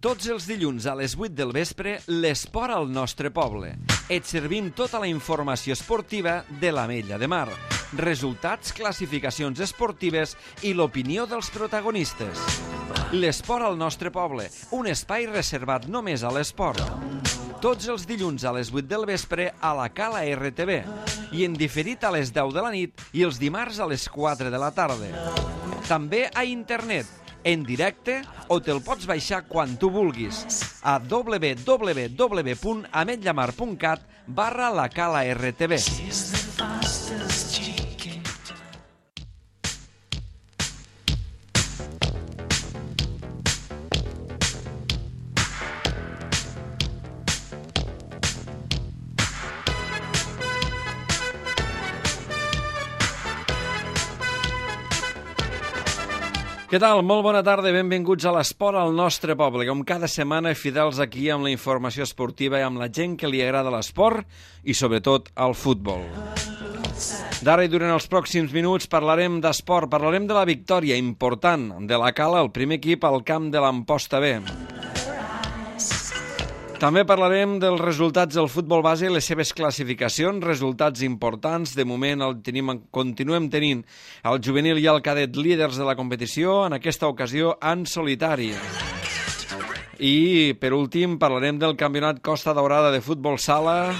Tots els dilluns a les 8 del vespre, l'esport al nostre poble. Et servim tota la informació esportiva de l'Ametlla de Mar. Resultats, classificacions esportives i l'opinió dels protagonistes. L'esport al nostre poble, un espai reservat només a l'esport. Tots els dilluns a les 8 del vespre a la Cala RTV i en diferit a les 10 de la nit i els dimarts a les 4 de la tarda. També a internet, en directe, o te'l pots baixar quan tu vulguis a www.ametllamar.cat/la Cala RTV. Què tal? Molt bona tarda i benvinguts a l'esport al nostre poble. Com cada setmana, fidels aquí amb la informació esportiva i amb la gent que li agrada l'esport i, sobretot, el futbol. D'ara i durant els pròxims minuts parlarem d'esport, parlarem de la victòria important de la Cala, el primer equip al camp de l'Amposta B. També parlarem dels resultats del futbol base i les seves classificacions, resultats importants. De moment continuem tenint el juvenil i el cadet líders de la competició, en aquesta ocasió en solitari. I, per últim, parlarem del campionat Costa Daurada de futbol sala,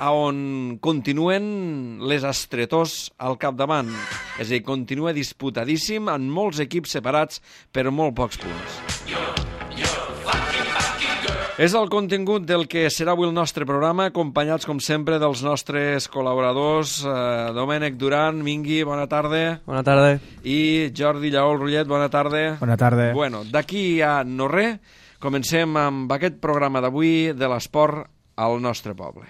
on continuen les estretors al capdavant. És a dir, continua disputadíssim en molts equips separats per molt pocs punts. És el contingut del que serà avui el nostre programa, acompanyats, com sempre, dels nostres col·laboradors. Domènec Duran, Mingui, bona tarda. Bona tarda. I Jordi Lleó Rullet, bona tarda. Bona tarda. Bueno, d'aquí a no res, comencem amb aquest programa d'avui de l'esport al nostre poble.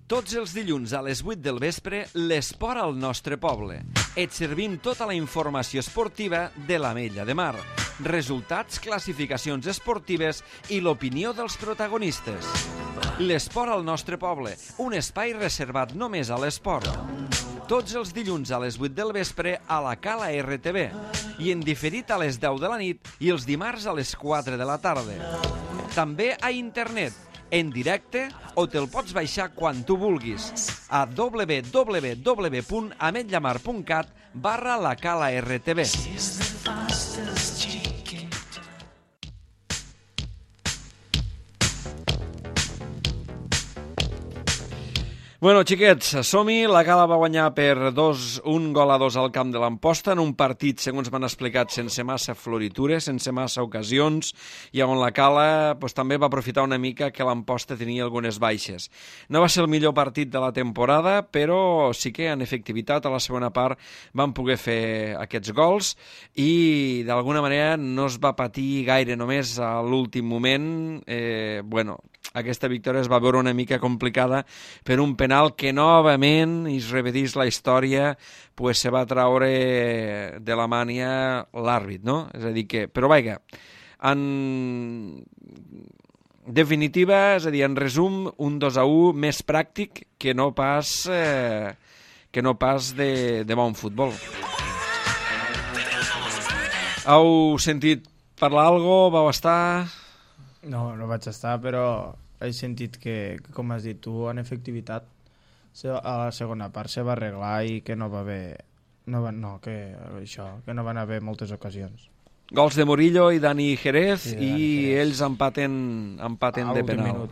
Tots els dilluns a les 8 del vespre, l'esport al nostre poble. Et servim tota la informació esportiva de l'Ametlla de Mar. Resultats, classificacions esportives i l'opinió dels protagonistes. L'esport al nostre poble, un espai reservat només a l'esport. Tots els dilluns a les 8 del vespre a la Cala RTV i en diferit a les 10 de la nit i els dimarts a les 4 de la tarda. També a internet, en directe, o te'l pots baixar quan tu vulguis a www.ametllamar.cat/la Cala RTV. Bueno, xiquets, som-hi. La Cala va guanyar per 1-2 al camp de l'Amposta en un partit, segons m'han explicat, sense massa floritures, sense massa ocasions, i on la Cala també va aprofitar una mica que l'Amposta tenia algunes baixes. No va ser el millor partit de la temporada, però sí que en efectivitat a la segona part van poder fer aquests gols i d'alguna manera no es va patir gaire, només a l'últim moment. Aquesta victòria es va veure una mica complicada per un penal que novament, i es repetís la història, se va traure de la mània l'àrbit, no? És a dir que... Però vaja, en definitiva, és a dir, en resum, un 2-1 més pràctic que no pas de bon futbol. Heu sentit parlar alguna cosa? Vau estar... No vaig estar, però he sentit que, com has dit tu, en efectivitat, a la segona part se va arreglar i que no va haver... que no van haver moltes ocasions. Gols de Murillo i Dani Jerez, i ells empaten de penal.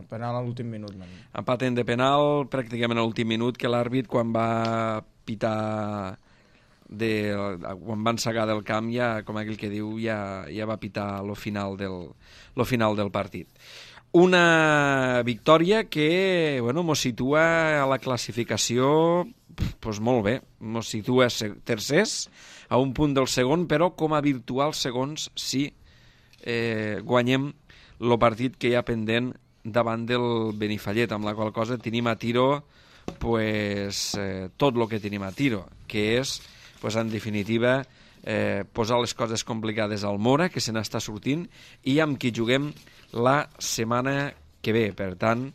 Penal a l'últim minut. Empaten de penal pràcticament a l'últim minut, que l'àrbit, quan va pitar... quan van segar del camp, ja, com aquell que diu, ja va pitar lo final del partit. Una victòria que mos situa a la classificació molt bé, mos situa tercers a un punt del segon, però com a virtuals segons si guanyem el partit que hi ha pendent davant del Benifallet, amb la qual cosa tenim a tiro tot el que tenim a tiro, que és en definitiva posar les coses complicades al Mora, que se n'està sortint, i amb qui juguem la setmana que ve. Per tant,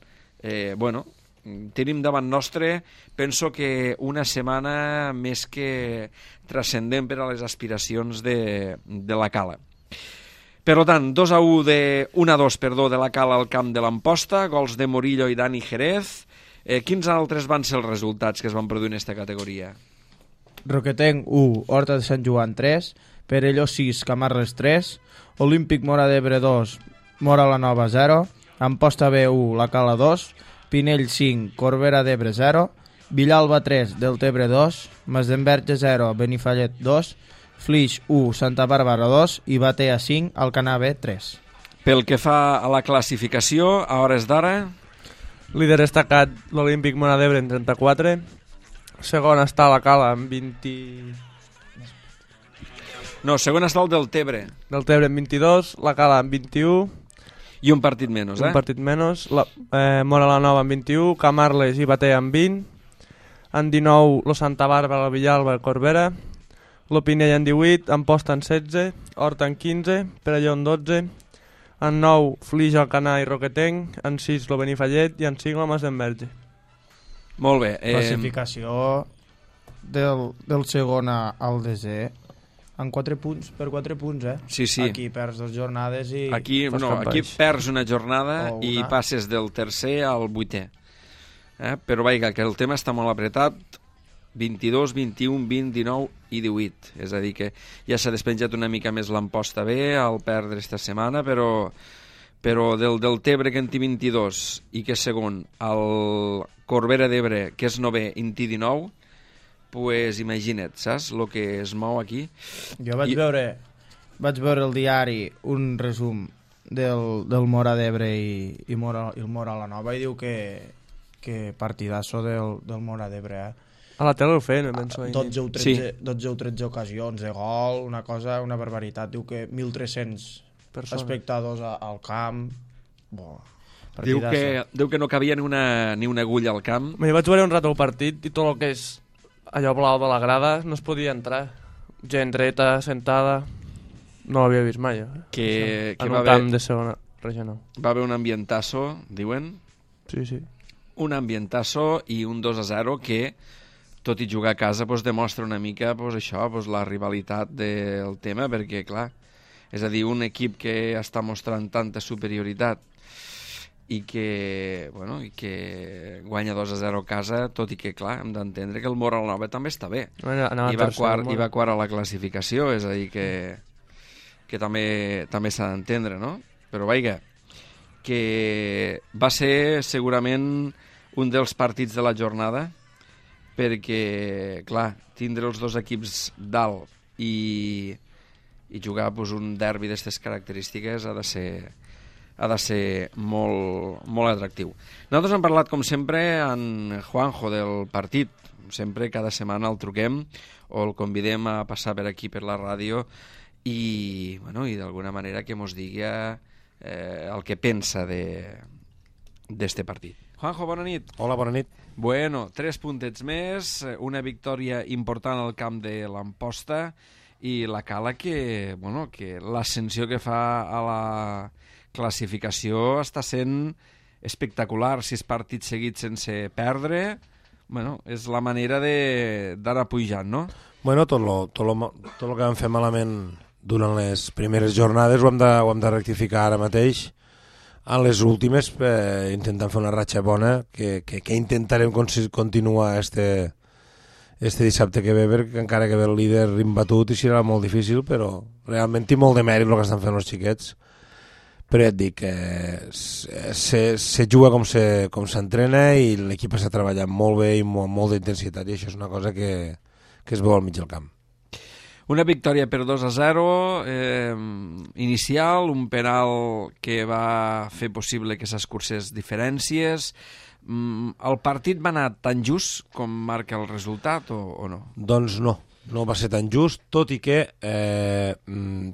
tenim davant nostre, penso que una setmana més que transcendent per a les aspiracions de la Cala. Per tant, 1-2 de la Cala al camp de l'Amposta, gols de Morillo i Dani Jerez. Quins altres van ser els resultats que es van produir en aquesta categoria? Roquetenc 1, Horta de Sant Joan 3, Perelló 6, Camarles 3, Olímpic Móra d'Ebre 2, Móra la Nova 0, Amposta B 1, La Cala 2, Pinell 5, Corbera d'Ebre 0, Villalba 3, Deltebre 2, Masdenverge 0, Benifallet 2, Flix 1, Santa Bàrbara 2 i Batea 5, Alcanar B 3. Pel que fa a la classificació, a hores d'ara... Líder destacat l'Olímpic Móra d'Ebre en 34, segon està la Cala amb 20... No, segon està el Deltebre. Deltebre amb 22, la Cala amb 21... I un partit menys, Un partit menys. Móra la Nova amb 21, Camarles i Batea amb 20, en 19 lo Santa Bàrbara, el Villalba i el Corbera, lo Pinell en 18, Amposta en 16, Horta en 15, Perelló en 12, en 9 Flix, Alcanar i Roquetenc, en 6 lo Benifallet i en 5 lo Masdenverge. Molt bé. Classificació del segon al desè en 4 punts, per 4 punts, Sí. Aquí perds 2 jornades i... Aquí perds una jornada una. I passes del tercer al 8è. Però vaja, que el tema està molt apretat, 22, 21, 20, 19 i 18. És a dir, que ja s'ha despenjat una mica més l'Amposta B al perdre esta setmana, però del Deltebre, que en té 22, i que és segon, el Corbera d'Ebre, que és 9è, en té 19, pues imagina't, saps, el que es mou aquí. Jo vaig veure el diari un resum del Móra d'Ebre i el Móra la Nova i diu que partidasso del Móra d'Ebre, A la tele ho feien, penso. 12 o 13 ocasions de gol, una barbaritat. Diu que 1.300 espectadors al camp. Diu que no cabia ni una agulla al camp. Jo vaig veure un rato el partit i tot el que és allò blau de la grada no es podia entrar. Gent dreta, sentada... No l'havia vist mai, Que en un camp de segona regional. Va haver un ambientasso, diuen? Sí. Un ambientasso i un 2-0 que, tot i jugar a casa, demostra una mica això, la rivalitat del tema, perquè, clar, és a dir, un equip que està mostrant tanta superioritat i que guanya 2-0 a casa, tot i que, clar, hem d'entendre que el Móra la Nova també està bé. I va quart a la classificació, és a dir, que també s'ha d'entendre, no? Però, vaja, que va ser segurament un dels partits de la jornada, perquè, clar, tindre els dos equips dalt i jugar un derbi d'aquestes característiques ha de ser molt, molt atractiu. Nosaltres hem parlat, com sempre, en Juanjo del partit. Sempre, cada setmana el truquem o el convidem a passar per aquí, per la ràdio, i d'alguna manera que mos digui el que pensa d'este partit. Juanjo, bona nit. Hola, bona nit. Bueno, 3 puntets més, una victòria important al camp de l'Amposta i la Cala que l'ascensió que fa a la classificació està sent espectacular. 6 partits seguits sense perdre, és la manera d'anar pujant, no? Bueno, tot lo que vam fer malament durant les primeres jornades ho hem de rectificar ara mateix. En les últimes, intentant fer una ratxa bona, que intentarem continuar este dissabte que ve, perquè encara que ve el líder imbatut i serà molt difícil, però realment té molt de mèrit el que estan fent els xiquets. Però ja et dic que se juga com s'entrena i l'equip està treballant molt bé i amb molta intensitat, i això és una cosa que es veu al mig del camp. Una victòria per 2-0 inicial, un penal que va fer possible que s'escurcés diferències. El partit va anar tan just com marca el resultat o no? Doncs no va ser tan just, tot i que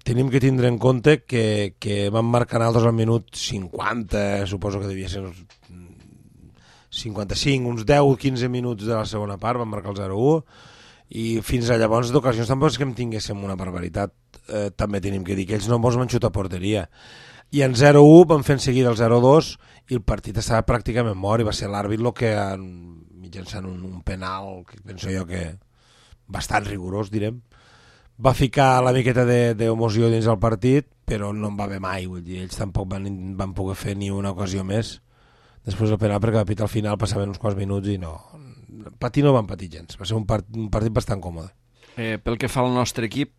tenim que tindre en compte que van marcar altres al minut 50, suposo que devia ser uns 55, uns 10-15 minuts de la segona part, van marcar el 0-1, i fins a llavors d'ocasions tampoc és que en tinguéssim una barbaritat. També tenim que dir que ells no ens van xutar a porteria. i en 0-1 van fer en seguida el 0-2 i el partit estava pràcticament mort i va ser l'àrbit el que mitjançant un penal que penso jo que bastant rigorós direm va ficar la miqueta d'emoció dins el partit però no en va haver mai, vull dir, ells tampoc van poder fer ni una ocasió més després del penal perquè va pitar al final passaven uns quants minuts i no patir no van patir gens, va ser un partit bastant còmode. Pel que fa al nostre equip,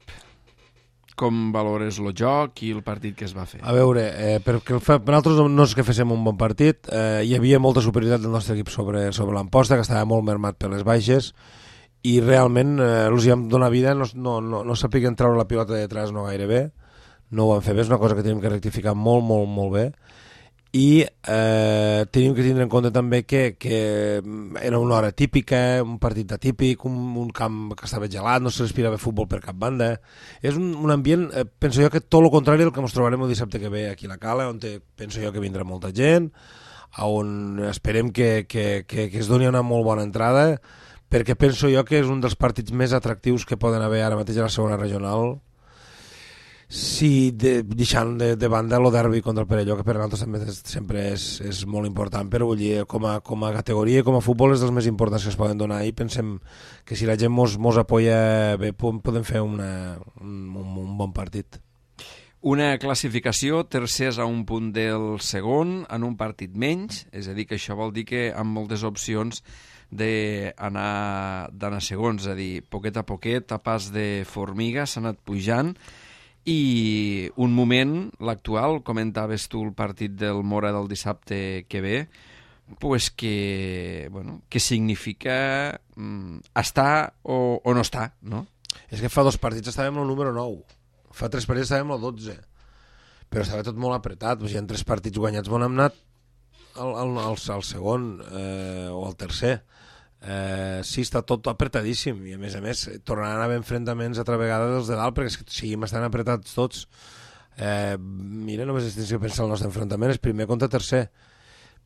com valores el joc i el partit que es va fer? A veure, perquè per nosaltres no és que féssim un bon partit, hi havia molta superioritat del nostre equip sobre l'Amposta, que estava molt mermat per les baixes, i realment els hi vam donar vida, no sapiguen treure la pilota de detrás no gaire bé, no ho van fer bé, és una cosa que tenim que rectificar molt, molt, molt bé, i tenim que tindre en compte també que era una hora típica, un partit atípic, un camp que estava gelat, no se respirava futbol per cap banda. És un ambient, penso jo que tot el contrari del que ens trobarem el dissabte que ve aquí a la Cala, on penso jo que vindrà molta gent, on esperem que es doni una molt bona entrada, perquè penso jo que és un dels partits més atractius que poden haver ara mateix a la segona regional, sí, deixant de banda el derbi contra el Perelló, que per a nosaltres també sempre és molt important, però vull dir, com a categoria i com a futbol és dels més importants que es poden donar i pensem que si la gent mos apoya bé podem fer un bon partit. Una classificació, tercers a un punt del segon, en un partit menys, és a dir, que això vol dir que amb moltes opcions d'anar segons, és a dir, poquet a poquet, a pas de formiga, s'ha anat pujant, i un moment, l'actual, comentaves tu el partit del Mora del dissabte que ve, pues que significa estar o no estar, no? És que fa 2 partits estàvem al número 9, fa 3 partits estàvem al 12, però estava tot molt apretat, hi ha 3 partits guanyats on hem anat al segon o al tercer. Sí, està tot apretadíssim i a més tornaran a haver enfrontaments altra vegada dels de dalt perquè seguim estan apretats tots. Mira, només tens que pensar el nostre enfrontament és primer contra tercer,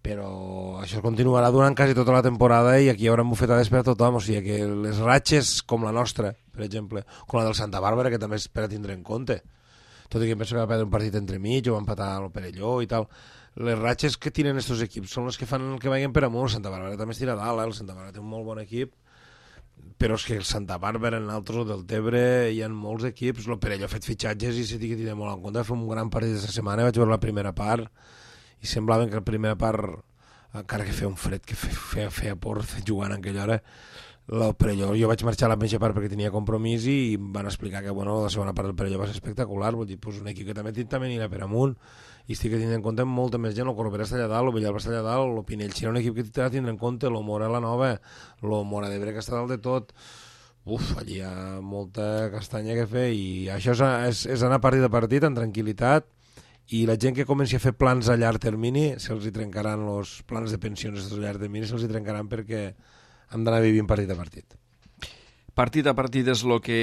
però això continuarà durant quasi tota la temporada i aquí hi haurà bufetades per a tothom, o sigui que les ratxes com la nostra, per exemple, com la del Santa Bàrbara, que també és per a tindre en compte, tot i que penso que va perdre un partit entremig o va empatar el Perelló i tal, les ratxes que tenen aquests equips són les que fan que vagin per amunt. El Santa Bàrbara també es tira dalt, el Santa Bàrbara té un molt bon equip, però és que el Santa Bàrbara, en altres, o del Tebre, hi ha molts equips, el Perelló ha fet fitxatges i s'ha de tenir molt en compte, va fer un gran partit aquesta setmana, vaig veure la primera part i semblava que la primera part, encara que feia un fred, que feia por jugant en aquella hora, el Perelló, jo vaig marxar a la mitja part perquè tenia compromís i em van explicar que la segona part del Perelló va ser espectacular, vull dir, un equip que també anirà per amunt i estic tenint en compte molta més gent, el Corbera està allà dalt, el Villalba està allà dalt, el Pinell serà un equip que t'ha de tindre en compte, el Mora la nova, el Mora d'Ebre que està dalt de tot, allí hi ha molta castanya que fer i això és anar partit a partit amb tranquil·litat i la gent que comenci a fer plans a llarg termini se'ls hi trencaran els plans de pensions a llarg termini, se'ls hi trencaran perquè hem d'anar vivint partit a partit. Partit a partit és el que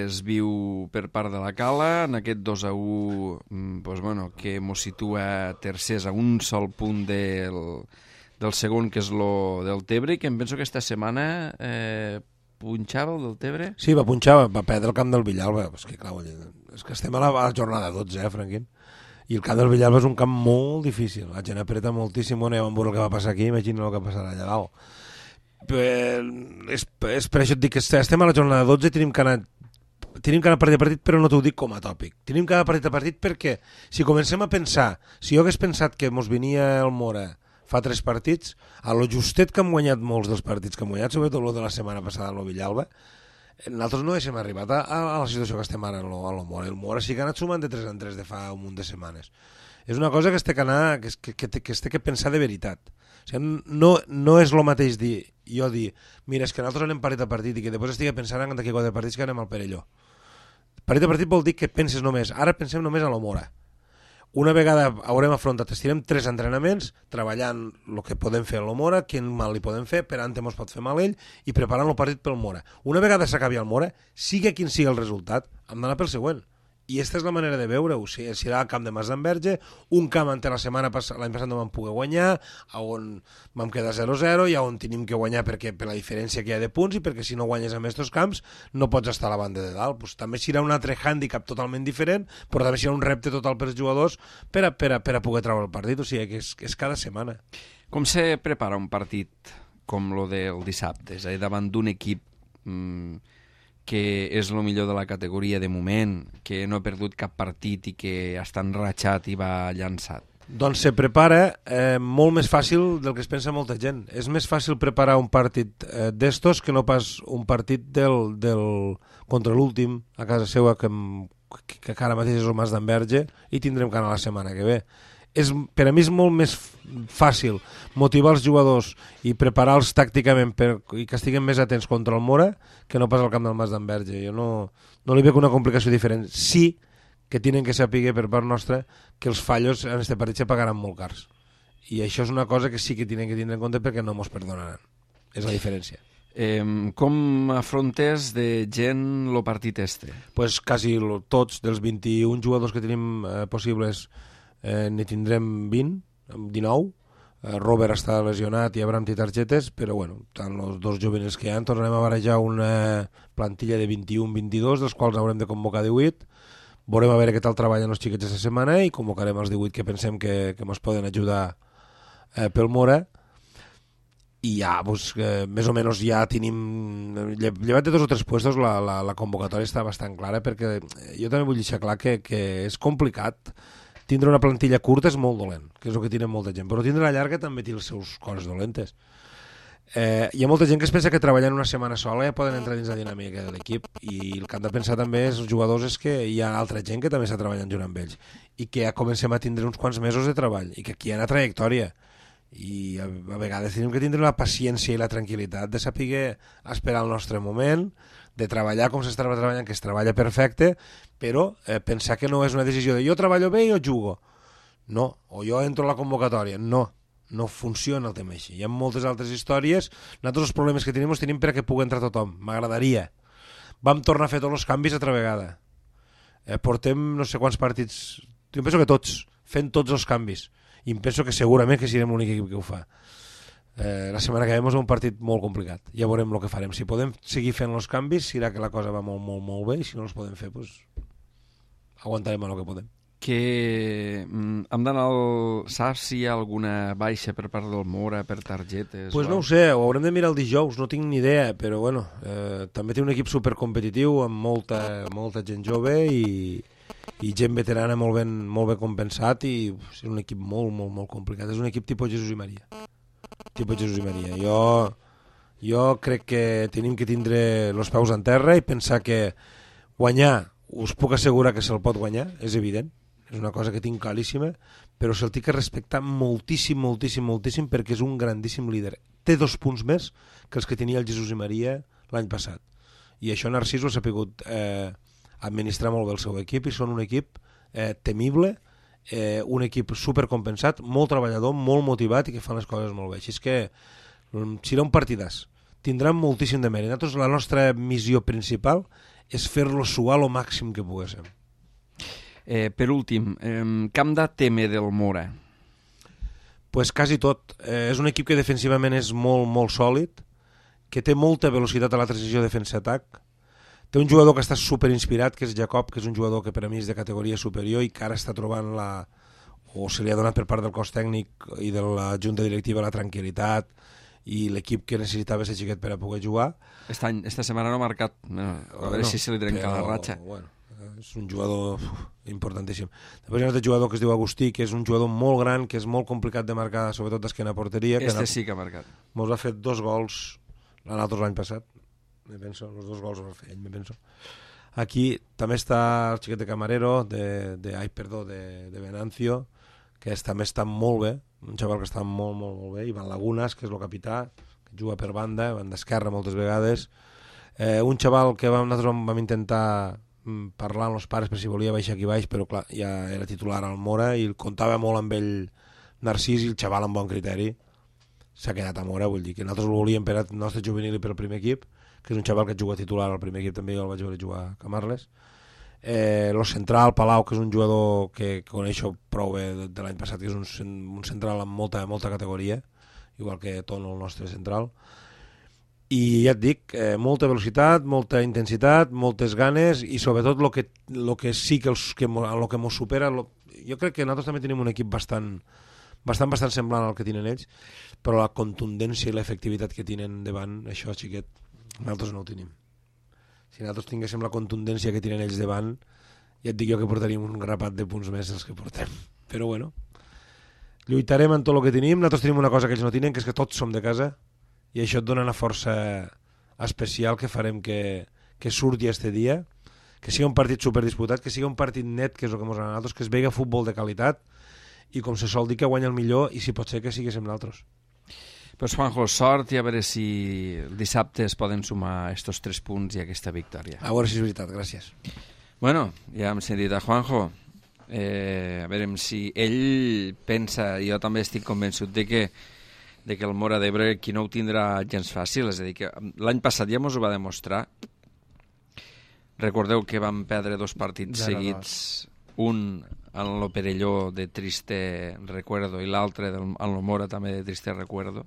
es viu per part de la Cala, en aquest 2-1 que mos situa tercers a un sol punt del segon, que és el del Tebre, i que em penso que aquesta setmana punxava el del Tebre? Sí, va punxar, va perdre el camp del Villalba, és que clar, és que estem a la jornada 12, Franquín, i el camp del Villalba és un camp molt difícil, la gent apreta moltíssim, ja vam veure el que va passar aquí, imagina el que passarà allà dalt. És per això et dic que estem a la jornada 12 i tenim que anar partit a partit, però no t'ho dic com a tòpic. Tenim que anar partit a partit perquè si comencem a pensar, si jo hagués pensat que mos venia el Mora fa 3 partits, a lo justet que hem guanyat molts dels partits que hem guanyat, sobretot el de la setmana passada a lo Villalba, nosaltres no haguéssim arribat a la situació que estem ara a lo Mora. El Mora sí que ha anat sumant de 3 en 3 de fa un munt de setmanes. És una cosa que es té que pensar de veritat. O sigui, no és el mateix dir, mira, és que nosaltres anem partit a partit i que després estigui pensant en d'aquí 4 partits que anem al Perelló. Partit a partit vol dir que penses només, ara pensem només a la Mora. Una vegada haurem afrontat, estirem 3 entrenaments, treballant el que podem fer a la Mora, quin mal li podem fer, per ante mos pot fer mal ell, i preparant el partit pel Mora. Una vegada s'acabi el Mora, sigui quin sigui el resultat, hem d'anar pel següent. I aquesta és la manera de veure-ho. Si serà el camp de Masdenverge, un camp on l'any passat no vam poder guanyar, on vam quedar 0-0 i on tenim que guanyar per la diferència que hi ha de punts i perquè si no guanyes en aquests camps no pots estar a la banda de dalt. Pues, també serà un altre hàndicap totalment diferent, però també serà un repte total per als jugadors per a poder treure el partit. O sigui que és cada setmana. Com se prepara un partit com lo del dissabte? És a dir, davant d'un equip que és el millor de la categoria de moment, que no ha perdut cap partit i que està enratxat i va llançat? Doncs se prepara molt més fàcil del que es pensa molta gent. És més fàcil preparar un partit d'estos que no pas un partit contra l'últim a casa seva, que ara mateix és el Masdenverge, i tindrem que anar la setmana que ve. Per a mi és molt més fàcil motivar els jugadors i preparar-los tàcticament i que estiguin més atents contra el Mora que no pas al camp del Masdenverge. Jo no li veig una complicació diferent. Sí que tenen que saber per part nostra que els fallos en aquest partit se pagaran molt cars. I això és una cosa que sí que tenen que tindre en compte perquè no mos perdonaran. És la diferència. Com afrontes de gent el partit este? Pues quasi tots dels 21 jugadors que tenim possibles n'hi tindrem 19. Robert està lesionat i Abraham té targetes, però bueno, tant els dos juvenils que hi ha tornarem a barajar una plantilla de 21-22, dels quals haurem de convocar 18. Veurem a veure què tal treballen els xiquets aquesta setmana i convocarem els 18 que pensem que ens poden ajudar pel Mora. I ja, pues, més o menys ja tenim, llevat de 2 o 3 puestos, la convocatòria està bastant clara, perquè jo també vull deixar clar que és complicat. Tindre una plantilla curta és molt dolent, que és el que tenen molta gent, però tindre la llarga també té les seus coses dolentes. Hi ha molta gent que es pensa que treballant una setmana sola ja poden entrar dins la dinàmica de l'equip, i el que han de pensar també els jugadors és que hi ha altra gent que també està treballant junt amb ells i que ja comencem a tindre uns quants mesos de treball i que aquí hi ha una trajectòria i a vegades tenim que tindre la paciència i la tranquil·litat de saber esperar el nostre moment, de treballar com s'estava treballant, que es treballa perfecte, però pensar que no és una decisió de jo treballo bé i jo jugo. No, o jo entro a la convocatòria. No funciona el tema així. Hi ha moltes altres històries. Nosaltres els problemes que tenim els tenim perquè pugui entrar tothom. M'agradaria. Vam tornar a fer tots els canvis altra vegada. Portem no sé quants partits, jo penso que tots, fent tots els canvis. I em penso que segurament que serem l'únic equip que ho fa. La setmana que ve és un partit molt complicat. Ja veurem el que farem. Si podem seguir fent els canvis, serà que la cosa va molt, molt, molt bé, i si no els podem fer, doncs aguantarem el que podem. Hem d'anar saps si hi ha alguna baixa per part del Mora, per targetes? Pues no ho sé, ho haurem de mirar el dijous, no tinc ni idea, però bueno, també té un equip supercompetitiu amb molta gent jove i gent veterana molt ben compensat, i és un equip molt, molt, molt complicat. És un equip tipus Jesús i Maria. Jo crec que tenim que tindre els peus en terra i pensar que guanyar, us puc assegurar que se'l pot guanyar, és evident, és una cosa que tinc claríssima, però se'l té que respectar moltíssim, moltíssim, moltíssim, perquè és un grandíssim líder. Té 2 punts més que els que tenia el Jesús i Maria l'any passat, i això Narcís ho ha sabut administrar molt bé el seu equip, i són un equip temible, un equip supercompensat, molt treballador, molt motivat i que fan les coses molt bé. Així és que serà un partidàs. Tindran moltíssim de mèrit. Nosaltres, la nostra missió principal és fer-lo suar el màxim que poguéssim. Per últim, camp de teme del Mora? Pues quasi tot. És un equip que defensivament és molt, molt sòlid, que té molta velocitat a la transició defensa-atac. Té un jugador que està superinspirat, que és Jacob, que és un jugador que per a mi és de categoria superior i que ara està trobant o se li ha donat per part del cos tècnic i de la junta directiva la tranquil·litat i l'equip que necessitava ser xiquet per a poder jugar. Esta setmana no ha marcat, a veure si se li trenca la ratxa. Bueno, és un jugador importantíssim. Després hi ha un altre jugador que es diu Agustí, que és un jugador molt gran, que és molt complicat de marcar, sobretot d'esquena a porteria. Sí que ha marcat. Mos ha fet 2 gols l'any passat. Me penso, els 2 gols els va fer ell, me penso. Aquí també està el xiquet de Camarero, de Venancio, que també està molt bé, un xaval que està molt, molt, molt bé. Ivan Lagunas, que és el capità, que juga per banda esquerra moltes vegades. Un xaval que nosaltres vam intentar parlar amb els pares per si volia baixar aquí baix, però clar, ja era titular al Mora i comptava molt amb ell Narcís, i el xaval amb bon criteri s'ha quedat a Mora. Vull dir que nosaltres el volíem per al nostre juvenil i per al primer equip, que és un xaval que juga titular al primer equip, també jo el vaig veure jugar a Camarles. Lo central, Palau, que és un jugador que coneixo prou bé de l'any passat, que és un central amb molta categoria, igual que Tono, el nostre central. I ja et dic, molta velocitat, molta intensitat, moltes ganes i sobretot el que sí que el que mos supera, jo crec que nosaltres també tenim un equip bastant semblant al que tenen ells, però la contundència i l'efectivitat que tenen davant, això, xiquet, nosaltres no ho tenim. Si nosaltres tinguéssim la contundència que tenen ells davant, ja et dic jo que portaríem un grapat de punts més dels que portem. Però bueno, lluitarem en tot el que tenim. Nosaltres tenim una cosa que ells no tenen, que és que tots som de casa, i això et dona una força especial que farem que surti este dia, que sigui un partit superdisputat, que sigui un partit net, que és el que ens agrada a nosaltres, que es vegi futbol de qualitat i, com se sol dir, que guanya el millor i, si pot ser, que siguéssim nosaltres. Pues Juanjo, sort i a veure si el dissabte es poden sumar estos 3 punts i aquesta victòria. A veure si és veritat, gràcies. Bueno, ja hem sentit a Juanjo. A veure si ell pensa, i jo també estic convençut de que el Móra d'Ebre qui no ho tindrà gens fàcil, és a dir, que l'any passat ja ens ho va demostrar. Recordeu que vam perdre 2 partits 0-2 seguits, un en lo Perelló de triste recuerdo i l'altre en lo Móra també de triste recuerdo,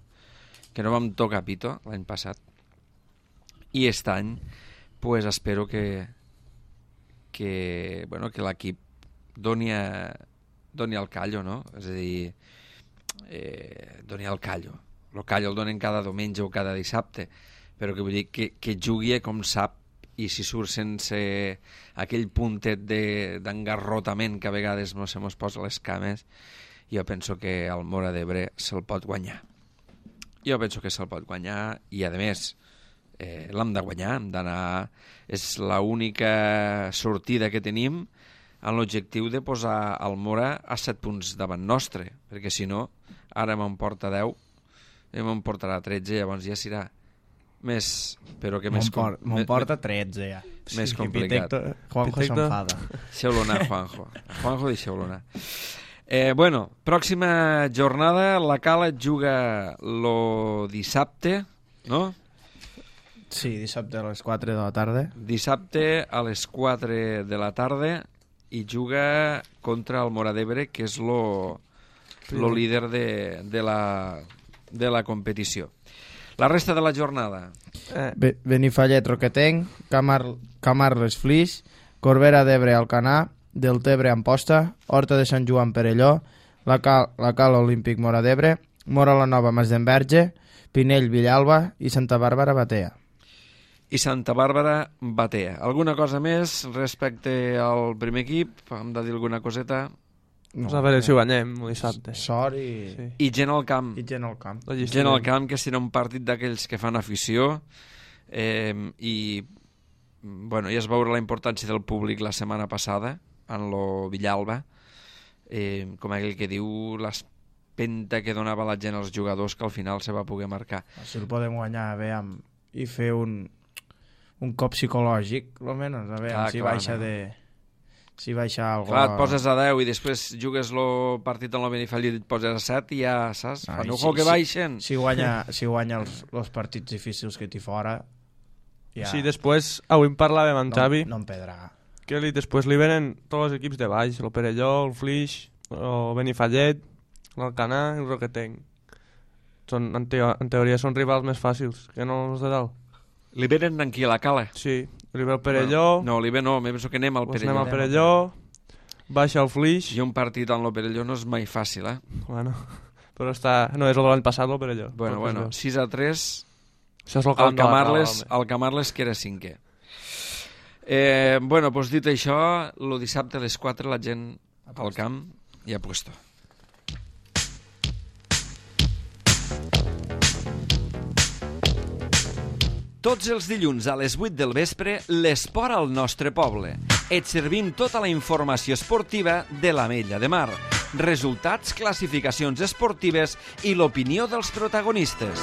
que no vam tocar pito l'any passat. I aquest any pues espero que l'equip doni el callo, no? És a dir, doni el callo. El callo el donen cada diumenge o cada dissabte, però que vull dir que jugui com sap, i si surt sense aquell puntet d'engarrotament que a vegades no se mos posa les cames, jo penso que el Móra d'Ebre se'l pot guanyar. Jo penso que se'l pot guanyar i, a més, l'hem de guanyar, hem d'anar... És l'única sortida que tenim en l'objectiu de posar el Móra a 7 punts davant nostre, perquè si no, ara me'n porta 10 i me'n portarà 13, llavors ja serà més, però que més... Me'n porta 13, ja. Més complicat. Juanjo s'enfada. Deixeu-lo anar, Juanjo. Juanjo, deixeu-lo anar. Bueno, pròxima jornada, la Cala juga lo dissabte, no? Sí, dissabte a les 4 de la tarda. Dissabte a les 4 de la tarda i juga contra el Móra d'Ebre, que és lo líder de la competició. La resta de la jornada. Benifallet, Roquetenc, Camarles, Flix, Corbera d'Ebre, Alcanar, Deltebre, Amposta, Horta de Sant Joan, Perelló, la Cal Olímpic, Móra d'Ebre, Móra la Nova, Masdenverge, Pinell, Villalba i Santa Bàrbara, Batea. I Santa Bàrbara, Batea. Alguna cosa més respecte al primer equip? Hem de dir alguna coseta? No, a veure si ho guanyem dissabte. Sort i... Sí. I gent al camp. I gent al camp. Gent al camp, que serà un partit d'aquells que fan afició, i bueno, ja es veurà la importància del públic la setmana passada en lo Villalba, com aquell que diu l'espenta que donava la gent als jugadors, que al final se va poder marcar. Si el podem guanyar, a veure, i fer un cop psicològic, almenys, a veure, si baixa de... Si baixa algo... Clar, et poses a 10 i després jugues el partit en el Benifallet i et poses a 7 i ja, saps? Fan un que baixen. Si guanya els partits difícils que té fora... Ja... Sí, després, avui en parlàvem amb Xavi, no en perdrà. Que després li venen tots els equips de baix, el Perelló, el Flix, el Benifallet, l'Alcanar i el Roquetenc. En teoria són rivals més fàcils que no els de dalt. Li venen aquí a la Cala? Sí, li ve el Perelló... No, li ve no, me penso que anem al Perelló. Anem al Perelló, baixa el Flix... I un partit en el Perelló no és mai fàcil, eh? Bueno, però no és el de l'any passat, el Perelló. Bueno, 6-3... Això és el Camarles, que era 5è. Bueno, doncs dit això, el dissabte a les 4 la gent al camp i a puesto. Tots els dilluns a les 8 del vespre, l'esport al nostre poble. Et servim tota la informació esportiva de l'Ametlla de Mar, resultats, classificacions esportives i l'opinió dels protagonistes.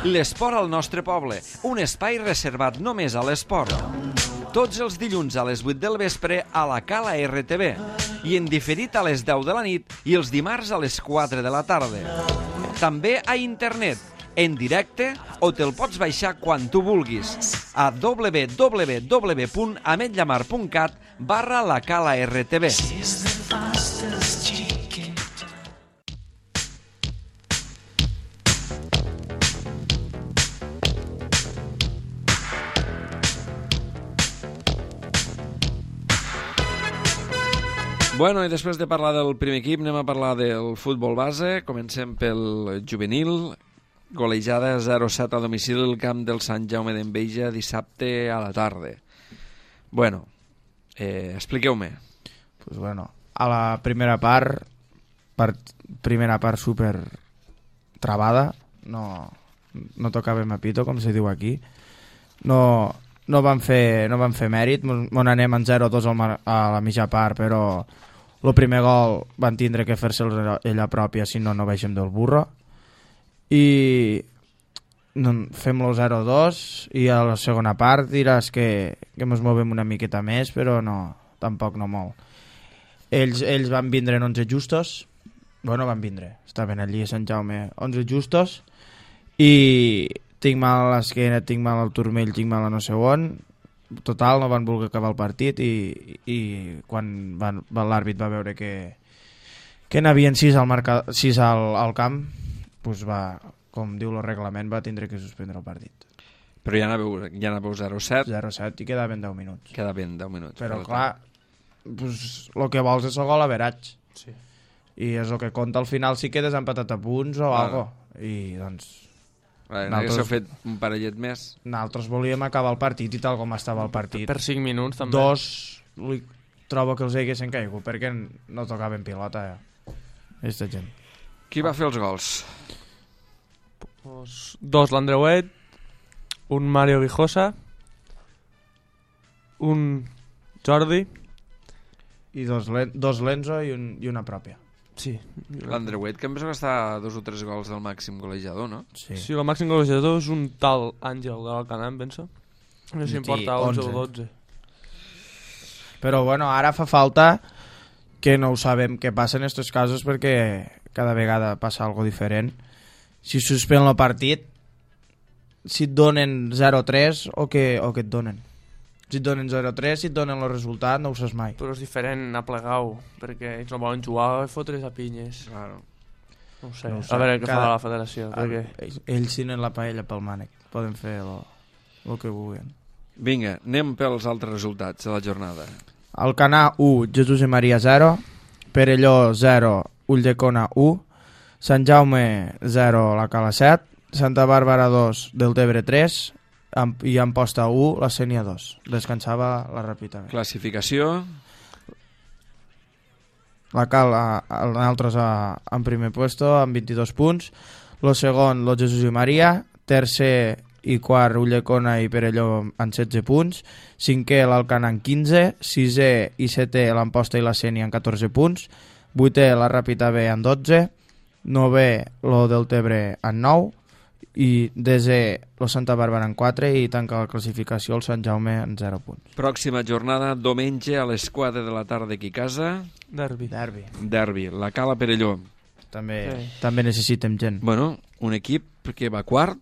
L'esport al nostre poble, un espai reservat només a l'esport. Tots els dilluns a les 8 del vespre a la Cala RTV i en diferit a les 10 de la nit i els dimarts a les 4 de la tarda. També a internet, en directe o te'l pots baixar quan tu vulguis a www.ametlllamar.cat/la Cala RTV. Bueno, i després de parlar del primer equip, anem a parlar del futbol base. Comencem pel juvenil. Golejada 0-7 a domicili al camp del Sant Jaume d'Enveja dissabte a la tarda. Bueno, expliqueu-me. Pues bueno, a la primera part super travada, no tocàvem a pito, com se diu aquí. No van fer mèrit, on anem en 0-2 a la mitja part, però el primer gol van tindre que fer-se'ls ella pròpia, si no baixem del burro. I fem-lo 0-2 i a la segona part diràs que ens movem una miqueta més, però tampoc no molt. Ells van vindre en 11 justos, van vindre, estaven allí a Sant Jaume 11 justos, i tinc mal a l'esquena, tinc mal al turmell, tinc mal a no sé on. Total, no van voler acabar el partit i quan l'àrbit va veure que n'havien 6 al camp, doncs com diu el reglament, va tindre que suspendre el partit. Però ja anàveu 0-7. 0-7 i quedaven 10 minuts. Quedaven 10 minuts. Però clar, el que vols és el gol average. Sí. I és el que compta al final si quedes empatat a punts o alguna cosa. I doncs... N'haguéssiu fet un parellet més. Nosaltres volíem acabar el partit i tal com estava el partit. Per 5 minuts també. 2 trobo que els haguessin caigut perquè no tocaven pilota aquesta gent. Qui va fer els gols? 2 l'Andreuet, un Mario Guijosa, un Jordi i dos Lenzo i una pròpia. Sí. L'Andreuet, que em penso que està a 2 o 3 gols del màxim golejador, no? Sí, el màxim golejador és un tal Àngel de l'Alcanar, em penso. No sé si em porta 11 o 12. Però bueno, ara fa falta que no ho sabem què passa en aquests casos perquè cada vegada passa algo diferent. Si suspèn el partit, si et donen 0-3 o què et donen? Si et donen 0-3, si et donen el resultat, no ho saps mai. Però és diferent a plegar-ho, perquè ells no volen jugar i fotre's a pinyes. Claro. No ho sé. A veure què fa la federació. Perquè... Ells tenen la paella pel mànec. Poden fer el que vulguin. Vinga, anem pels altres resultats de la jornada. Alcanar 1, Jesús i Maria 0, Perelló 0, Ulldecona 1, Sant Jaume 0, la Cala 7, Santa Bàrbara 2, Deltebre 3, i Amposta 1, la Sénia 2. Descansava la Ràpita. Classificació. La Cala, nosaltres en primer puesto amb 22 punts, el segon el Jesús i Maria, tercer i quart Ulldecona i Perelló en 16 punts, cinquè l'Alcanar en 15, sisè i setè l'Amposta i la Sénia en 14 punts, vuitè la Ràpita B en 12, novè el Deltebre en 9 i desè el Santa Bàrbara en 4 i tanca la classificació el Sant Jaume en 0 punts. Pròxima jornada, diumenge a les 4 de la tarda aquí a casa. Derbi. La Cala Perelló. També necessitem gent. Bueno, un equip que va quart.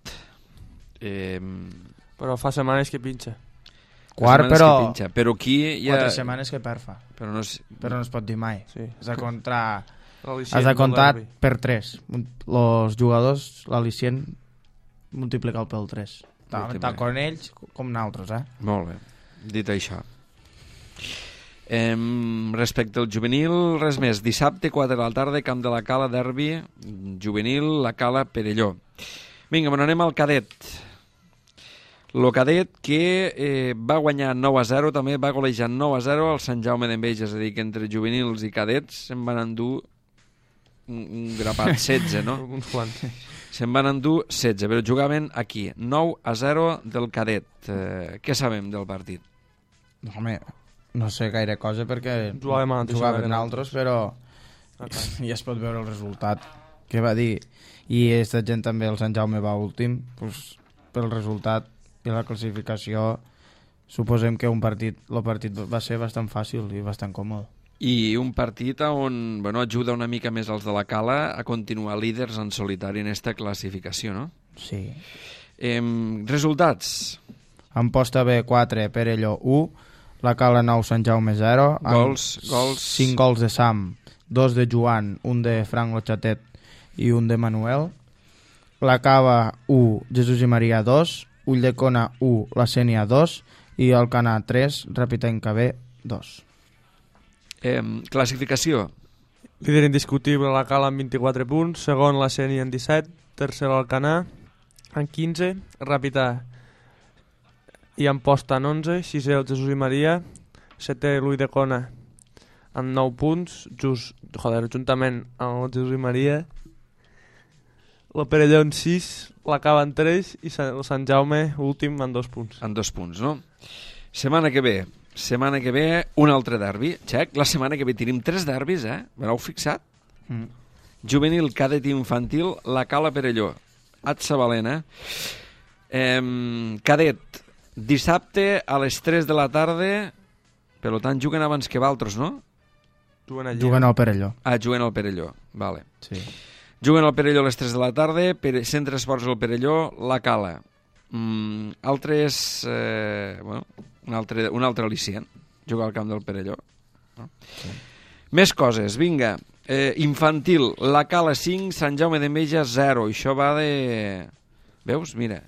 Però fa setmanes que pinxa. Quart, però aquí hi ha... 4 setmanes que perfa. Però no es pot dir mai. Sí. Has de comptar per 3. Els jugadors, l'al·licient, multiplicar-lo pel 3. Tant com ells com nosaltres, Molt bé, dit això. Respecte al juvenil, res més. Dissabte, 4 de la tarda, Camp de la Cala, derbi, juvenil, la Cala, Perelló. Vinga, bueno, anem al cadet. El cadet que va guanyar 9-0, també va golejar 9-0 al Sant Jaume d'Enveja, és a dir, que entre juvenils i cadets se'n van endur un grapat, 16, no? Uns quants. Se'n van endur 16, però jugaven aquí, 9-0 del cadet. Què sabem del partit? Home, no sé gaire cosa perquè jugaven altres, però ja es pot veure el resultat que va dir. I aquesta gent també, el Sant Jaume va últim, doncs, pel resultat i la classificació suposem que el partit va ser bastant fàcil i bastant còmode. I un partit on ajuda una mica més els de la Cala a continuar líders en solitari en aquesta classificació, no? Sí. Resultats. Amposta B 4, Perelló 1, la Cala 9, Sant Jaume 0. Gols. 5 gols de Sam, 2 de Joan, un de Frank Lochatet i un de Manuel. La Cava 1, Jesús i Maria 2, Ulldecona 1, la Sènia 2 i el Canà 3, Rapitenca B 2. Classificació. Líder indiscutible la Cala amb 24 punts, segon la Sènia en 17, tercer el Canà en 15, Ràpita i Amposta en 11, sisè el Jesús i Maria, setè l'Ulldecona amb 9 punts, juntament amb el Jesús i Maria, la Perelló en 6, la Cava en 3 i el Sant Jaume últim en 2 punts. En 2 punts, no? Setmana que ve, un altre derbi. Xec, la setmana que ve tenim 3 derbis, M'heu fixat? Juvenil, cadet i infantil, la Cala Perelló. Atsa Valena. Cadet, dissabte a les 3 de la tarda, per tant juguen abans que Valtros, no? Juguen al Perelló. Juguen al Perelló, vale. Sí. Juguen al Perelló a les 3 de la tarda, Centre Esports del Perelló, la Cala. Altres... un altre al·licient, jugar al camp del Perelló. No? Sí. Més coses, vinga. Infantil, la Cala 5, Sant Jaume d'Enveja 0. Això va de... Veus? Mira,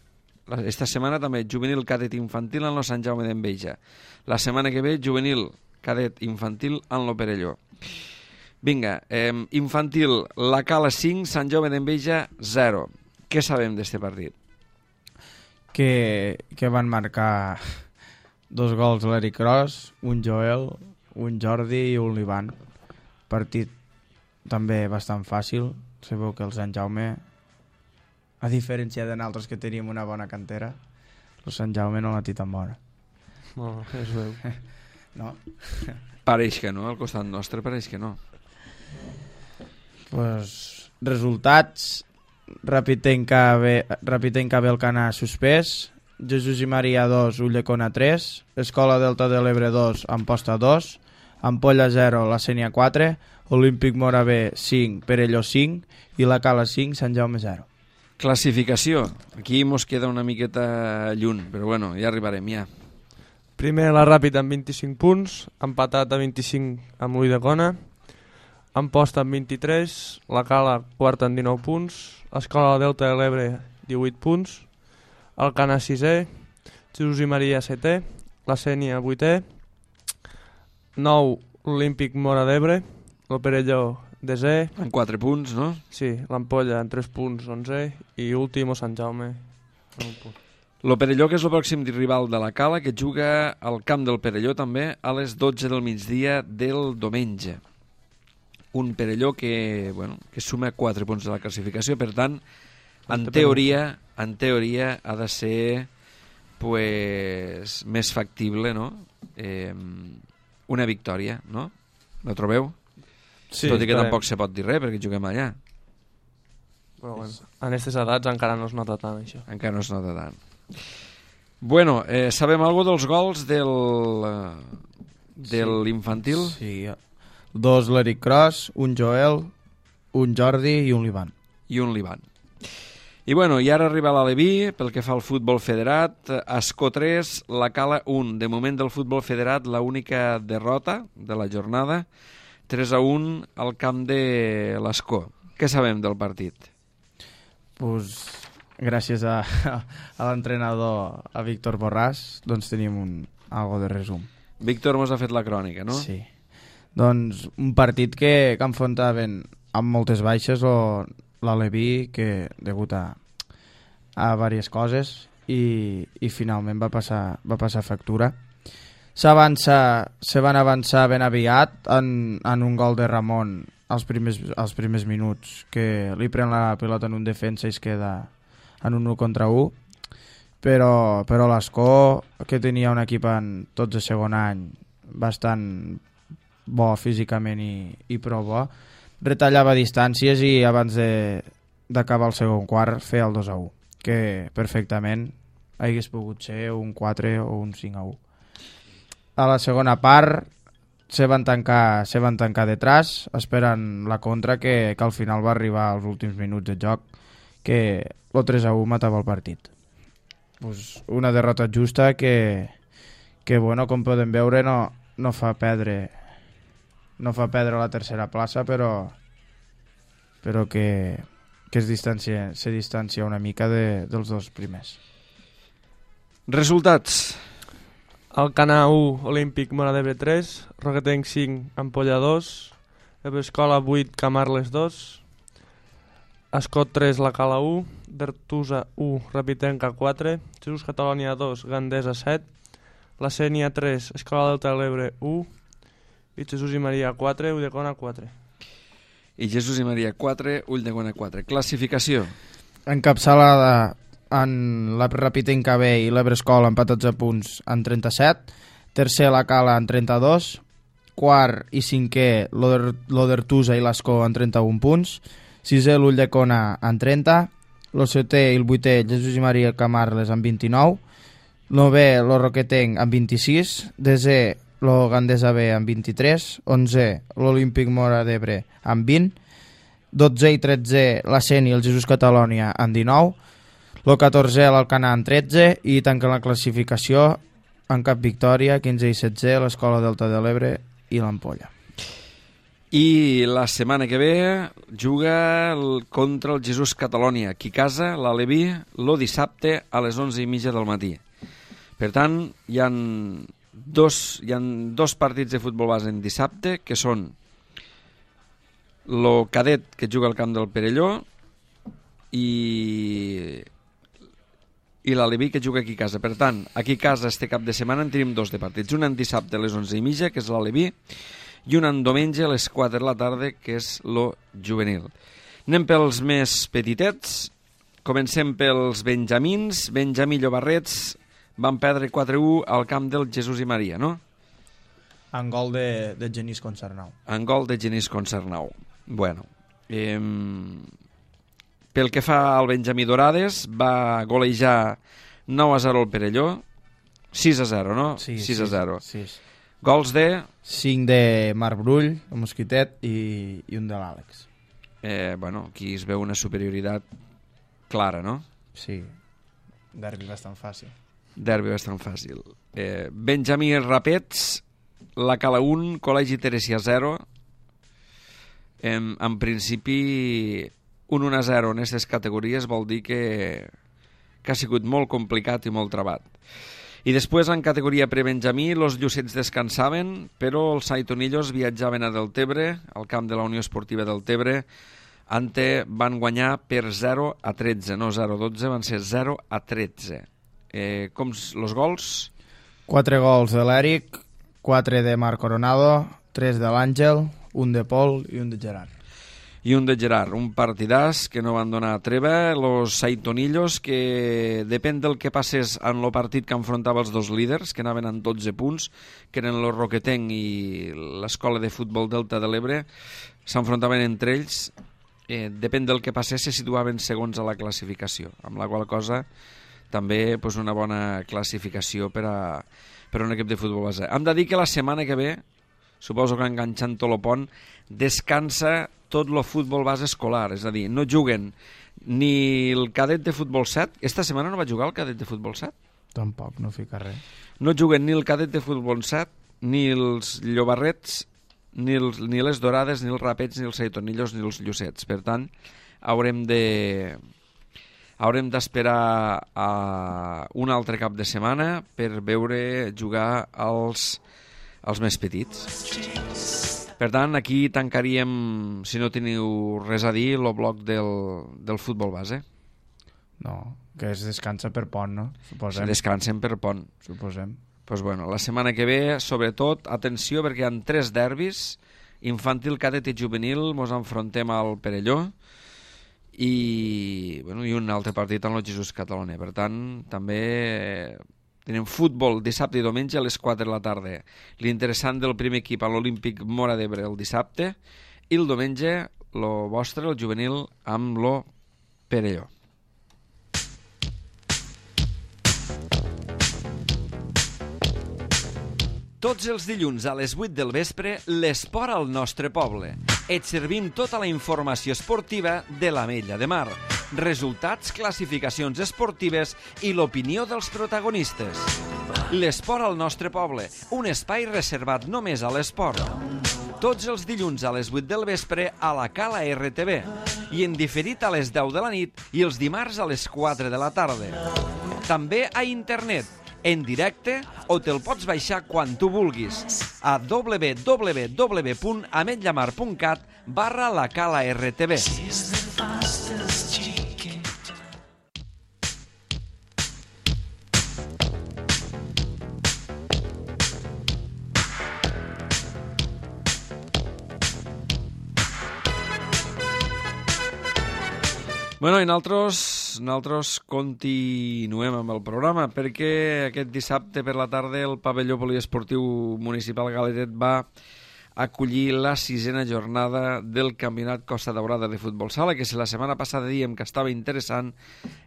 esta setmana també juvenil cadet infantil en lo Sant Jaume d'Enveja. La setmana que ve, juvenil cadet infantil en lo Perelló. Vinga, infantil, la Cala 5, Sant Jaume d'Enveja 0. Què sabem d'este partit? Que van marcar 2 gols l'Eric Cross, un Joel, un Jordi i un l'Ivan. Partit també bastant fàcil. Sabeu que el Sant Jaume, a diferència de nosaltres que teníem una bona cantera, el Sant Jaume no la té tan bona. No, es veu. No? Pareix que no, al costat nostre pareix que no. Pues, resultats: Rapitenca B el Canà suspès, Jesús i Maria 2, Ulldecona 3, Escola Delta de l'Ebre 2, Amposta 2, Ampolla 0, la Sènia 4, Olímpic Mora B 5, Perelló 5 i la Cala 5, Sant Jaume 0. Classificació. Aquí mos queda una miqueta lluny, però bueno, ja arribarem, ja. Primer la Ràpita amb 25 punts, empatat a 25 amb l'Ulldecona, Amposta amb 23, la Cala quarta amb 19 punts, Escola Delta de l'Ebre 18 punts, el Canà 6è, Jesús i Maria 7è, la Sènia 8è, 9 l'Olímpic Mora d'Ebre, el Perelló 10è, En 4 punts, no? sí, l'Ampolla en 3 punts 11è i últim el Sant Jaume en 1 punt. Lo Perelló, que és el pròxim rival de la Cala, que juga al camp del Perelló també a les 12 del migdia del diumenge. Un Perelló que, bueno, que suma 4 punts de la classificació, per tant, en teoria ha de ser pues, més factible, no? Una victòria, no? No trobeu? Sí, tot i que tampoc se pot dir res perquè juguem allà. Però bueno, en aquestes edats encara no es nota tant això. Encara no es nota tant. Bueno, sabem alguna dels gols de l'infantil? Sí, 2 l'Eric Cross, un Joel, un Jordi i un l'Ivan. I un l'Ivan. I bueno, i ara arriba l'Aleví, pel que fa al futbol federat, Ascó 3, la Cala 1. De moment del futbol federat, l'única derrota de la jornada, 3-1 al camp de l'Ascó. Què sabem del partit? Pues, gràcies a l'entrenador, a Víctor Borràs, doncs tenim algo de resum. Víctor mos ha fet la crònica, no? Sí. Doncs un partit que enfrontaven amb moltes baixes l'Aleví, que degut a diverses coses, i finalment va passar factura. Se van avançar ben aviat en un gol de Ramon als primers minuts, que li pren la pilota en un defensa i es queda en un 1 contra 1, però l'Ascó, que tenia un equip en tots de segon any bastant bo físicament i prou bo, retallava distàncies i abans d'acabar el segon quart feia el 2-1, que perfectament hagués pogut ser un 4 o un 5-1. A la segona part se van tancar detrás, esperant la contra, que al final va arribar als últims minuts de joc que el 3-1 matava el partit. Pues una derrota justa que bueno, com podem veure, no fa perdre la tercera plaça, però que se distancia una mica dels dos primers. Resultats. Alcanar 1, Olímpic Móra d'Ebre 3, Roquetenc 5, Ampolla 2, Ebrescola 8, Camarles 2, Escot 3, La Cala 1, Dertusa 1, Rapitenca 4, Jesús Catalònia 2, Gandesa 7, La Sénia 3, Escola Delta de l'Ebre 1 i Jesús i Maria 4, Ulldecona 4. I Jesús i Maria 4, Ulldecona 4. Classificació. Encapçalada en la Rapitenca B i l'Ebrescola empatats a punts en 37, tercer la Cala en 32, quart i cinquè l'Odertusa i l'Escó en 31 punts, sisè l'Ulldecona en 30, el setè i el vuitè Jesús i Maria Camarles en 29, novè el Roquetenc en 26, desè el Gandesa B en 23, 11è l'Olímpic Móra d'Ebre en 20, 12è i 13è la Sénia i el Jesús Catalònia en 19, el 14è l'Alcanar en 13 i tanquen la classificació en cap victòria, 15è i 16è l'Escola Delta de l'Ebre i l'Ampolla. I la setmana que ve juga contra el Jesús Catalònia, aquí a casa, l'Aleví, el dissabte a les 11:30 del matí. Per tant, hi ha dos partits de futbol base en dissabte, que són el cadet que juga al camp del Perelló i l'Aleví que juga aquí a casa. Per tant, aquí a casa este cap de setmana en tenim dos de partits. Un en dissabte a les 11:30, que és l'Aleví, i un en diumenge a les 4 de la tarda, que és lo juvenil. Anem pels més petitets. Comencem pels benjamins. Benjamí Llobarrets van perdre 4-1 al camp del Jesús i Maria, no? En gol de Genís Concernau. En gol de Genís Concernau. Bueno, pel que fa al Benjamí Dorades, va golejar 9-0 al Perelló, 6-0, no? Sí, 6-0. Sí. Gols de... 5 de Marc Brull, el Mosquitet, i un de l'Àlex. Bueno, aquí es veu una superioritat clara, no? Sí, derbi bastant fàcil. Derbi bastant fàcil. Benjamí Rapets, la Cala 1, Col·legi Teresia 0. En principi, un 1-0 en aquestes categories vol dir que ha sigut molt complicat i molt trebat. I després, en categoria prebenjamí, els llucets descansaven, però els saitonillos viatjaven a Deltebre, al camp de la Unió Esportiva Deltebre. Ante van guanyar per 0-13, no 0-12, van ser 0-13. Com els gols? 4 gols de l'Eric, 4 de Marc Coronado, 3 de l'Àngel, un de Pol i un de Gerard. I un de Gerard, un partidàs que no van donar treva, los saitonillos, que depèn del que passés en el partit que enfrontava els dos líders, que anaven en 12 punts, que eren el Roquetenc i l'Escola de Futbol Delta de l'Ebre, s'enfrontaven entre ells, depèn del que passés, se situaven segons a la classificació, amb la qual cosa també una bona classificació per a un equip de futbol base. Hem de dir que la setmana que ve, suposo que enganxant tot el pont, descansa tot el futbol base escolar, és a dir, no juguen ni el cadet de futbol 7, esta setmana no va jugar el cadet de futbol 7? Tampoc, no fica res. No juguen ni el cadet de futbol 7, ni els llobarrets, ni les dorades, ni els rapets, ni els saitonillos, ni els llucets. Per tant, haurem d'esperar a un altre cap de setmana per veure jugar els més petits. Per tant, aquí tancaríem, si no teniu res a dir, el bloc del futbol base. No, que es descansa per pont, no? Suposem. Se descansen per pont. Suposem. Pues bueno, la setmana que ve, sobretot, atenció, perquè hi ha 3 derbis, infantil, cadet i juvenil, mos enfrontem al Perelló, i un altre partit en el Jesús Catalònia. Per tant, també tenim futbol dissabte i diumenge a les 4 de la tarda. L'interessant del primer equip a l'Olímpic Móra d'Ebre el dissabte, i el diumenge, el vostre, el juvenil, amb el Perelló. Tots els dilluns a les 8 del vespre, l'esport al nostre poble. Et servim tota la informació esportiva de l'Ametlla de Mar. resultats, classificacions esportives i l'opinió dels protagonistes. L'esport al nostre poble, un espai reservat només a l'esport. Tots els dilluns a les 8 del vespre a la Cala RTV i en diferit a les 10 de la nit i els dimarts a les 4 de la tarda. També a internet, en directe o te'l pots baixar quan tu vulguis a www.ametlllamar.cat/la Cala RTV. Bueno, i nosaltres continuem amb el programa perquè aquest dissabte per la tarda el pavelló poliesportiu municipal Galetet va acollir la 6a jornada del Campionat Costa Daurada de Futbol Sala, que si la setmana passada dèiem que estava interessant,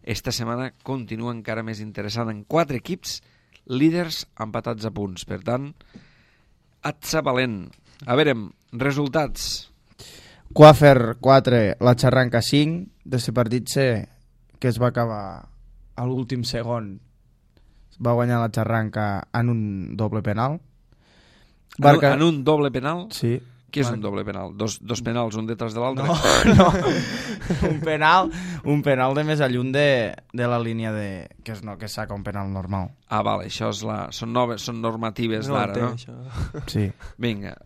esta setmana continua encara més interessant, en 4 equips líders empatats a punts. Per tant, atza valent. A veure, resultats. Coafer 4, la Xarranca 5, d'aquest partit que es va acabar a l'últim segon. Va guanyar la Xarranca en un doble penal. En un doble penal? Sí. Què és un doble penal? Dos penals, un detrás de l'altre? No. un penal de més alluny de la línia que saca un penal normal. Ah, vale, això són normatives d'ara, no? Sí. Vinga.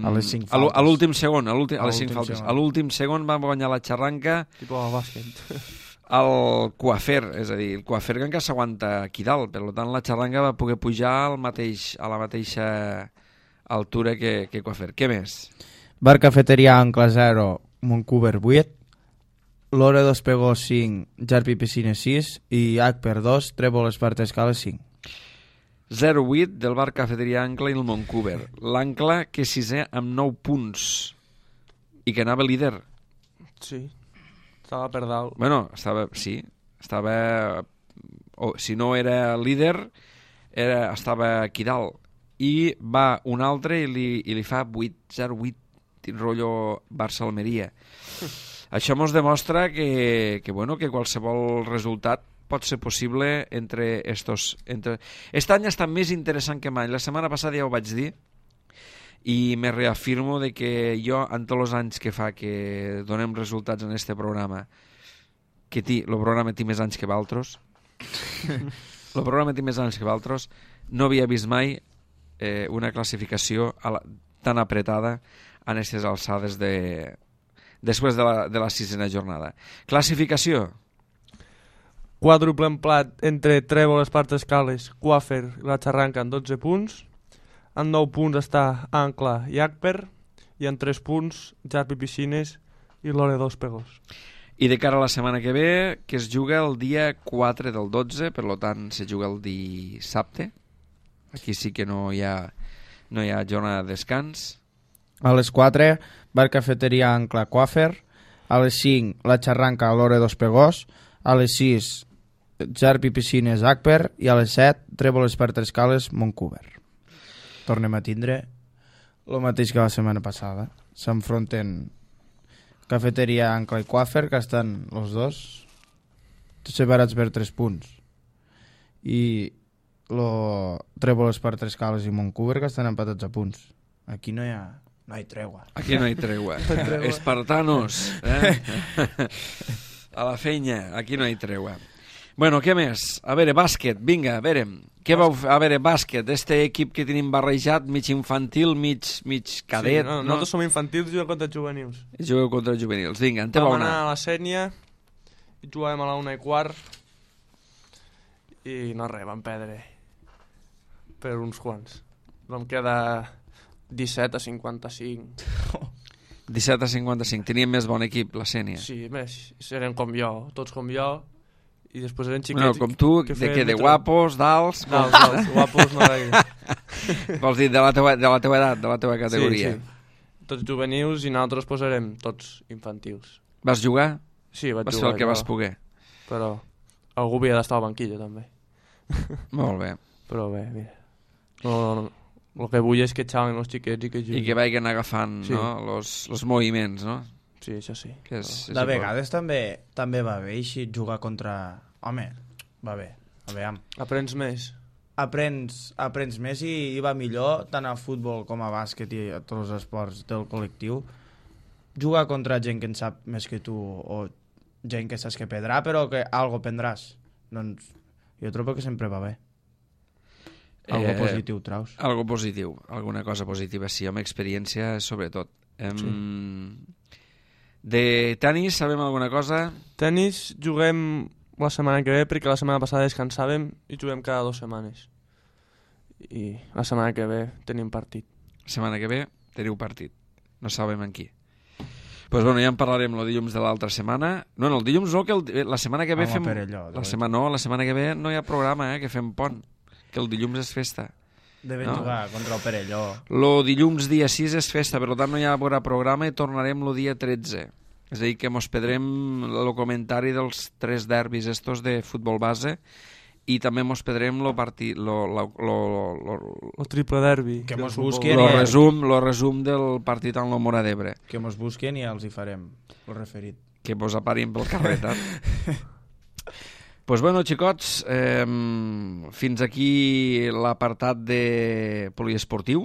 A les 5 faltes. A l'últim segon, a les 5 faltes. A l'últim segon va guanyar la Xarranca Tipo a bàsquet. el Coafer, és a dir, el Coafer que encara s'aguanta aquí dalt, per tant la Xarranca va poder pujar a la mateixa altura que Coafer. Què més? Bar Cafeteria Ancla 0, Montcuber 8, Lore 2 Pegó 5, Jarpi Piscines 6 i H per 2, Trèvol Esparta Escales 5. 0-8 del Bar Cafeteria Ancla i el Montcuber. L'Ancla que és 6è amb 9 punts i que anava líder. Sí, estava per dalt. Bueno, estava... si no era líder, estava aquí dalt. I va un altre i li fa 8-0-8, rotllo Barça-Almeria. Això mos demostra que qualsevol resultat pot ser possible entre estos... Aquest any està més interessant que mai. La setmana passada ja ho vaig dir i me reafirmo de que jo, en tots els anys que fa que donem resultats en este programa, que el programa té més anys que d'altres, no havia vist mai una classificació tan apretada en aquestes alçades després de la 6a jornada. Classificació. Quàdruple emplat entre Trèvol, Esparta Escales, Coafer i la Xarranca en 12 punts. En 9 punts està Ancla i Acper i en 3 punts Jarpi Piscines i Lore 2 Pegós. I de cara a la setmana que ve, que es juga el dia 4 del 12, per tant se juga el dissabte. Aquí sí que no hi ha jornada de descans. A les 4, Bar Cafeteria Ancla Coafer. A les 5, la Xarranca Lore 2 Pegós. A les 6, Jarpi Piscines Acper i a les 7, Trèvol Esparta Escales Montcuber. Tornem a tindre el mateix que la setmana passada. S'enfronten Cafeteria Ancla i Coafer, que estan els dos separats per 3 punts. I Trèvol Esparta Escales i Montcuber, que estan empatats a punts. Aquí no hi ha tregua. Aquí no hi ha tregua. Espartanos. A la feina, aquí no hi tregua. Bueno, què més? A veure, bàsquet, vinga, a veure. Què vau fer? A veure, bàsquet, este equip que tenim barrejat, mig infantil, mig cadet. Sí, nosaltres som infantils i juguem contra juvenils. Jugueu contra juvenils, vinga, en té Vam anar a la Sènia i jugàvem a la 1:15 i no res, vam perdre per uns quants. Vam quedar 17-55. 17-55, teníem més bon equip, la Sènia. Sí, més, eren com jo, tots com jo, i després eren xiquets... Bueno, com tu, de guapos, d'alts... D'alts, guapos no gaire. Vols dir de la teua edat, de la teua categoria. Sí. Tots juvenils i nosaltres posarem tots infantils. Vas jugar? Sí, vaig jugar. Vas fer el que vas poder. Però algú havia d'estar a la banquilla, també. Molt bé. Però bé, mira. No. El que vull és que xalen els xiquets i que juguin. I que vagin agafant, sí, no? Los moviments, no? Sí, això sí. Que és De vegades també va bé així jugar contra... Home, va bé. A veure, Aprens més. aprens més i va millor tant a futbol com a bàsquet i a tots els esports del col·lectiu. Jugar contra gent que en sap més que tu o gent que saps que perdrà però que algo prendràs. Doncs jo trobo que sempre va bé. Algo positiu traus. Algo positiu, alguna cosa positiva, sí, amb experiència sobretot. De tenis sabem alguna cosa? Tenis juguem la setmana que ve perquè la setmana passada descansàvem i juguem cada 2 setmanes. I la setmana que ve tenim partit. La setmana que ve teniu partit. No sabem en qui. Pues bueno, ja en parlarem el dilluns de l'altra setmana. No, el dilluns no, que la setmana que ve fem... La setmana que ve no hi ha programa, que fem pont. Que el dilluns és festa. Devem jugar contra el Perelló. El dilluns dia 6 és festa, per tant no hi haurà programa i tornarem el dia 13. És a dir, que mos pedrem el comentari dels 3 derbis estos de futbol base i també mos pedrem el triple derbi. Que mos busquen el resum del partit en la Mora d'Ebre. Que mos busquen i els hi farem el referit. Que mos aparim pel carrer, Pues bueno, xicots, fins aquí l'apartat de poliesportiu.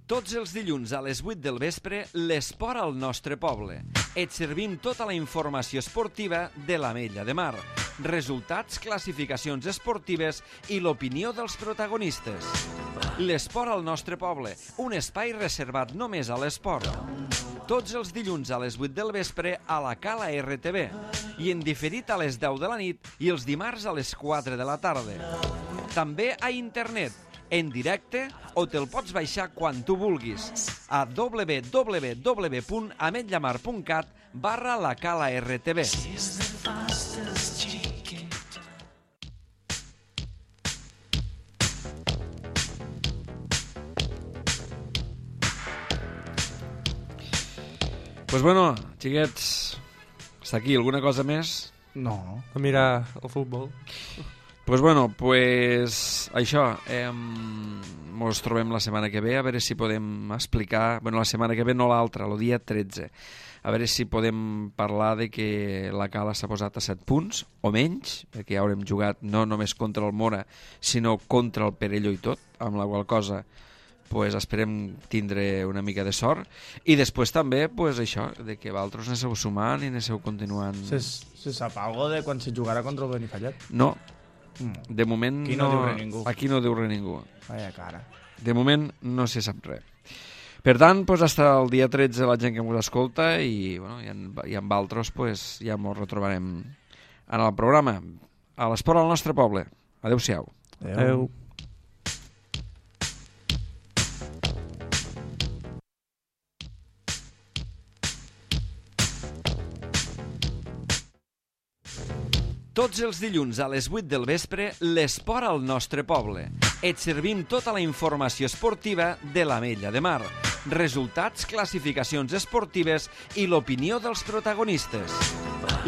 Tots els dilluns a les 8 del vespre, l'esport al nostre poble. Et servim tota la informació esportiva de l'Ametlla de Mar, resultats, classificacions esportives i l'opinió dels protagonistes. L'esport al nostre poble, un espai reservat només a l'esport. Tots els dilluns a les 8 del vespre a la Cala RTV i en diferit a les 10 de la nit i els dimarts a les 4 de la tarda. També a internet, en directe o te'l pots baixar quan tu vulguis a www.ametllamar.cat/la-cala-rtv. Pues bueno, xiquets, està aquí. Alguna cosa més? No. A mirar el futbol. Pues bueno, pues això, mos trobem la setmana que ve, a veure si podem explicar, bueno, la setmana que ve no l'altra, el dia 13, a veure si podem parlar de que la Cala s'ha posat a 7 punts, o menys, perquè ja haurem jugat no només contra el Mora, sinó contra el Perelló i tot, amb la qual cosa pues esperem tindre una mica de sort, i després també, pues això, de que vosaltres aneu sumant i aneu continuant... Se sap algo de quan se jugarà contra el Benifallet? No. De moment aquí no diu res ningú. Aquí no diu res ningú. Vaya cara. De moment no se sap res. Per tant, pues, hasta el dia 13 la gent que ens escolta i, bueno, i amb altres pues, ja ens retrobarem en el programa. A l'esport al nostre poble. Adéu-siau. Adéu. Tots els dilluns a les 8 del vespre, l'esport al nostre poble. Et servim tota la informació esportiva de l'Ametlla de Mar, resultats, classificacions esportives i l'opinió dels protagonistes.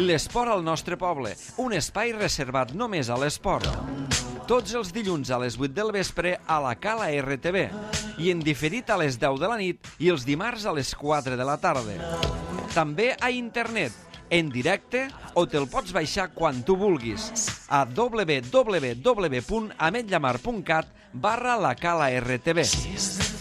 L'esport al nostre poble, un espai reservat només a l'esport. Tots els dilluns a les 8 del vespre a la Cala RTV i en diferit a les 10 de la nit i els dimarts a les 4 de la tarda. També a internet, en directe o te'l pots baixar quan tu vulguis a www.ametllamar.cat/la-cala-rtv.